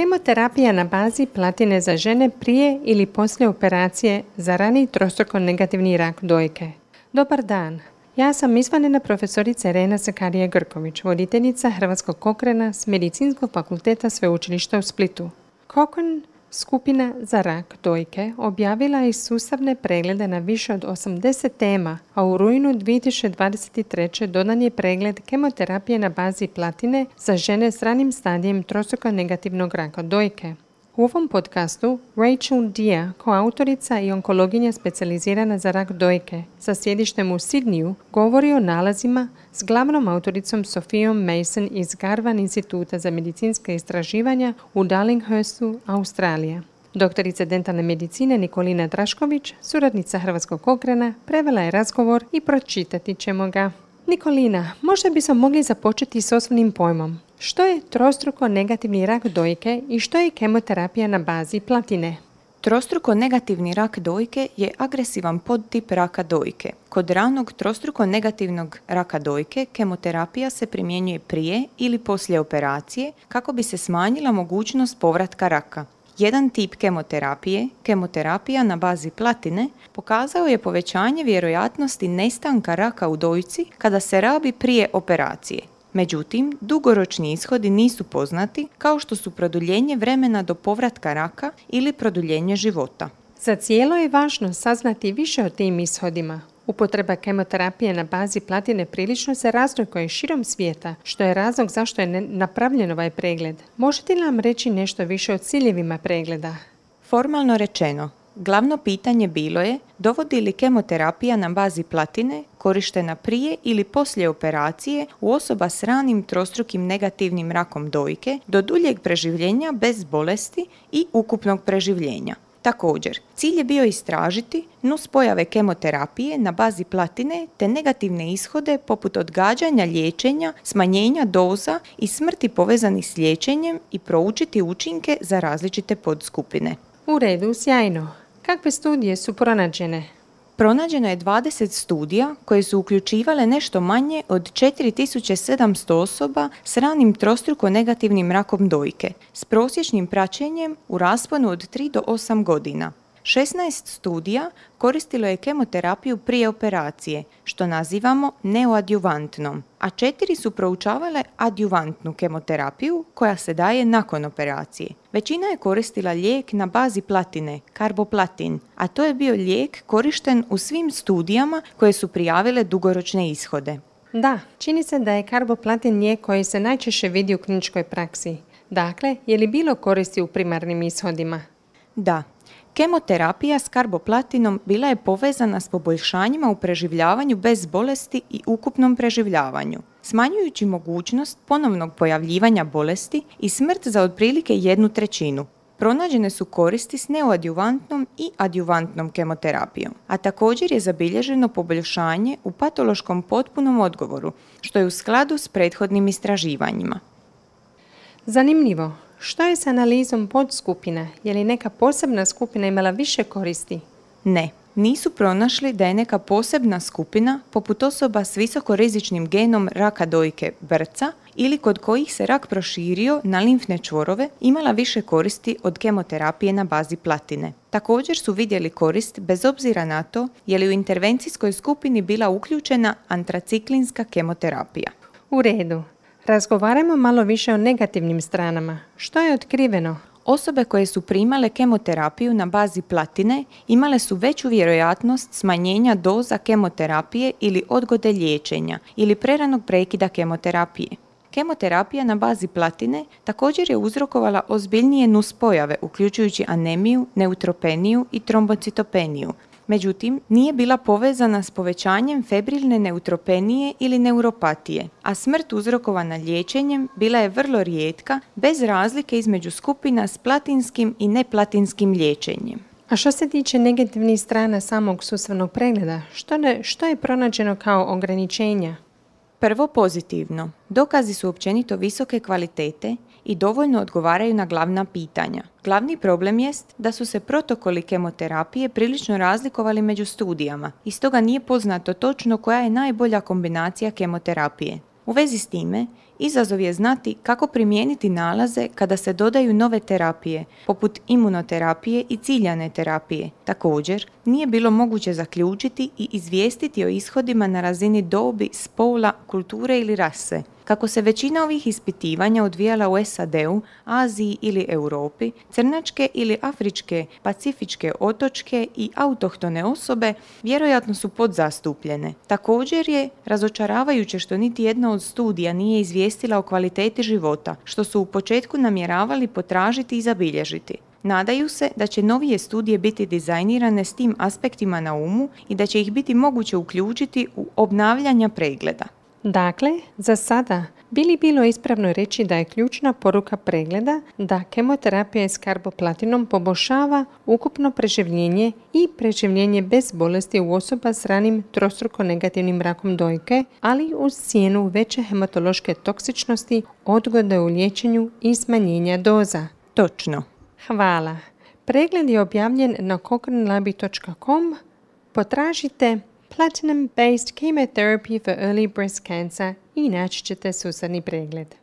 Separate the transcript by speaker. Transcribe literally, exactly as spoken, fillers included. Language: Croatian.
Speaker 1: Kemoterapija na bazi platine za žene prije ili poslije operacije za rani trostruko negativni rak dojke. Dobar dan, ja sam izvanredna profesorica Irena Sakarija-Grković, voditeljica Hrvatskog Cochrana s Medicinskog fakulteta Sveučilišta u Splitu. Cochrane skupina za rak dojke objavila je sustavne preglede na više od osamdeset tema, a u rujnu dvije tisuće dvadeset treće dodan je pregled kemoterapije na bazi platine za žene s ranim stadijem trostruko negativnog raka dojke. U ovom podcastu Rachel Dia, koautorica i onkologinja specijalizirana za rak dojke sa sjedištem u Sidneyu, govori o nalazima s glavnom autoricom Sofijom Mason iz Garvan instituta za medicinska istraživanja u Darlinghurstu, Australija. Doktorica dentalne medicine Nikolina Drašković, suradnica Hrvatskog Cochrana, prevela je razgovor i pročitati ćemo ga. Nikolina, možda bismo mogli započeti s osnovnim pojmom. Što je trostruko negativni rak dojke i što je kemoterapija na bazi platine?
Speaker 2: Trostruko negativni rak dojke je agresivan podtip raka dojke. Kod ranog trostruko negativnog raka dojke kemoterapija se primjenjuje prije ili poslije operacije kako bi se smanjila mogućnost povratka raka. Jedan tip kemoterapije, kemoterapija na bazi platine, pokazao je povećanje vjerojatnosti nestanka raka u dojci kada se rabi prije operacije. Međutim, dugoročni ishodi nisu poznati, kao što su produljenje vremena do povratka raka ili produljenje života.
Speaker 1: Za cijelo je važno saznati više o tim ishodima. Upotreba kemoterapije na bazi platine prilično se razlikuje širom svijeta, što je razlog zašto je napravljen ovaj pregled. Možete li nam reći nešto više o ciljevima pregleda?
Speaker 2: Formalno rečeno, glavno pitanje bilo je dovodi li kemoterapija na bazi platine korištena prije ili poslije operacije u osoba s ranim trostrukim negativnim rakom dojke do duljeg preživljenja bez bolesti i ukupnog preživljenja. Također, cilj je bio istražiti nuspojave kemoterapije na bazi platine te negativne ishode poput odgađanja liječenja, smanjenja doza i smrti povezanih s liječenjem i proučiti učinke za različite podskupine.
Speaker 1: U redu, sjajno. Kakve studije su pronađene?
Speaker 2: Pronađeno je dvadeset studija koje su uključivale nešto manje od četiri tisuće sedamsto osoba s ranim trostruko negativnim rakom dojke, s prosječnim praćenjem u rasponu od tri do osam godina. šesnaest studija koristilo je kemoterapiju prije operacije, što nazivamo neoadjuvantnom, a četiri su proučavale adjuvantnu kemoterapiju koja se daje nakon operacije. Većina je koristila lijek na bazi platine, karboplatin, a to je bio lijek korišten u svim studijama koje su prijavile dugoročne ishode.
Speaker 1: Da, čini se da je karboplatin lijek koji se najčešće vidi u kliničkoj praksi. Dakle, je li bilo koristi u primarnim ishodima?
Speaker 2: Da. Kemoterapija s karboplatinom bila je povezana s poboljšanjima u preživljavanju bez bolesti i ukupnom preživljavanju, smanjujući mogućnost ponovnog pojavljivanja bolesti i smrt za otprilike jednu trećinu. Pronađene su koristi s neoadjuvantnom i adjuvantnom kemoterapijom, a također je zabilježeno poboljšanje u patološkom potpunom odgovoru, što je u skladu s prethodnim istraživanjima.
Speaker 1: Zanimljivo. Što je s analizom podskupina? Je li neka posebna skupina imala više koristi?
Speaker 2: Ne, nisu pronašli da je neka posebna skupina, poput osoba s visokorizičnim genom raka dojke B R C A ili kod kojih se rak proširio na limfne čvorove, imala više koristi od kemoterapije na bazi platine. Također su vidjeli korist bez obzira na to je li u intervencijskoj skupini bila uključena antraciklinska kemoterapija.
Speaker 1: U redu. Razgovarajmo malo više o negativnim stranama. Što je otkriveno?
Speaker 2: Osobe koje su primale kemoterapiju na bazi platine imale su veću vjerojatnost smanjenja doza kemoterapije ili odgode liječenja ili preranog prekida kemoterapije. Kemoterapija na bazi platine također je uzrokovala ozbiljnije nuspojave uključujući anemiju, neutropeniju i trombocitopeniju. Međutim, nije bila povezana s povećanjem febrilne neutropenije ili neuropatije, a smrt uzrokovana liječenjem bila je vrlo rijetka, bez razlike između skupina s platinskim i neplatinskim liječenjem.
Speaker 1: A što se tiče negativnih strana samog sustavnog pregleda, što, ne, što je pronađeno kao ograničenja?
Speaker 2: Prvo pozitivno. Dokazi su općenito visoke kvalitete i dovoljno odgovaraju na glavna pitanja. Glavni problem jest da su se protokoli kemoterapije prilično razlikovali među studijama i stoga nije poznato točno koja je najbolja kombinacija kemoterapije. U vezi s time, izazov je znati kako primijeniti nalaze kada se dodaju nove terapije, poput imunoterapije i ciljane terapije. Također, nije bilo moguće zaključiti i izvijestiti o ishodima na razini dobi, spola, kulture ili rase. Kako se većina ovih ispitivanja odvijala u S A D-u, Aziji ili Europi, crnačke ili afričke, pacifičke otočke i autohtone osobe vjerojatno su podzastupljene. Također je razočaravajuće što niti jedna od studija nije izvijestila o kvaliteti života, što su u početku namjeravali potražiti i zabilježiti. Nadaju se da će novije studije biti dizajnirane s tim aspektima na umu i da će ih biti moguće uključiti u obnavljanja pregleda.
Speaker 1: Dakle, za sada bi li bilo ispravno reći da je ključna poruka pregleda da kemoterapija s karboplatinom poboljšava ukupno preživljenje i preživljenje bez bolesti u osoba s ranim trostruko negativnim rakom dojke, ali uz cijenu veće hematološke toksičnosti, odgode u liječenju i smanjenja doza.
Speaker 2: Točno.
Speaker 1: Hvala. Pregled je objavljen na cochrane labi dot com. Potražite Platinum-based chemotherapy for early breast cancer i naći ćete susadni pregled.